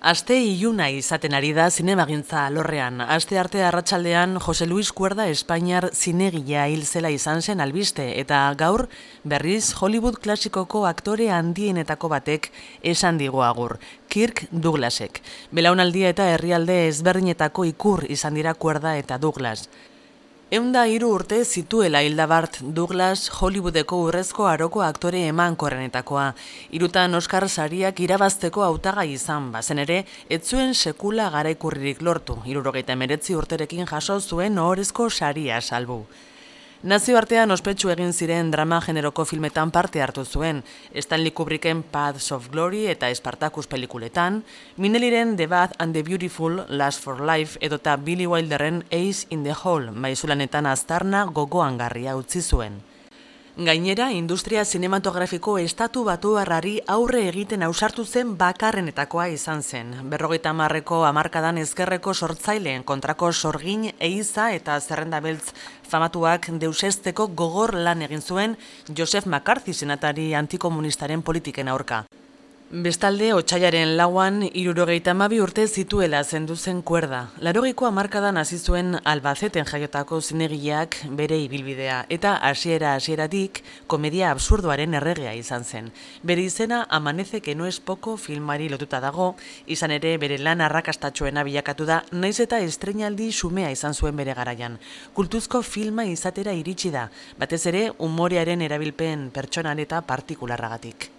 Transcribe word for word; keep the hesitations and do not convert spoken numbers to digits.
Aste iluna izaten ari da zinemagintza alorrean. Aste arte arratsaldean Jose Luis Cuerda Espainiar zinegilea hil zela izan zen albiste, eta gaur berriz Hollywood klasikoko aktore handienetako batek esan digu agur, Kirk Douglasek. Belaunaldia eta herrialde ezberdinetako ikur izan dira Cuerda eta Douglas. Eunda hiru urte zituela hilda Bart Douglas Hollywoodeko urrezko aroko aktore emankorrenetakoa. Hirutan Oscar sariak irabazteko hautagai izan bazen ere, ez zuen sekula garaikurririk lortu. hirurogeita hemeretzi urterekin jaso zuen ohorezko saria salbu. Nazioartean ospetsu egin ziren drama generoko filmetan parte hartu zuen, Stanley Kubricken Paths of Glory eta Spartacus pelikuletan, Minelliren The Bad and the Beautiful, Last for Life edota Billy Wilderren Ace in the Hole, maizulanetan aztarna gogoangarria utzi zuen. Gainera, industria zinematografiko estatu batuarrari aurre egiten ausartu zen bakarrenetakoa izan zen. Berrogeita hamarreko hamarkadan ezkerreko sortzaileen kontrako sorgin, eiza eta zerrenda beltz famatuak deusesteko gogor lan egin zuen Joseph McCarthy senatari antikomunistaren politiken aurka. Bestalde, otsailaren lauan, hirurogeita hamabi urte zituela zendu zen Cuerda. Laurogeiko hamarkadan hasi zuen Albaceten jaiotako zinegileak bere ibilbidea, eta hasiera hasieratik komedia absurdoaren erregea izan zen. Bere izena Amanece que no es poco filmari lotuta dago, izan ere bere lan arrakastatsuena bilakatu da, naiz eta estreinaldi xumea izan zuen bere garaian. Kultuzko filma izatera iritsi da, batez ere umorearen erabilpen pertsonal eta partikularragatik.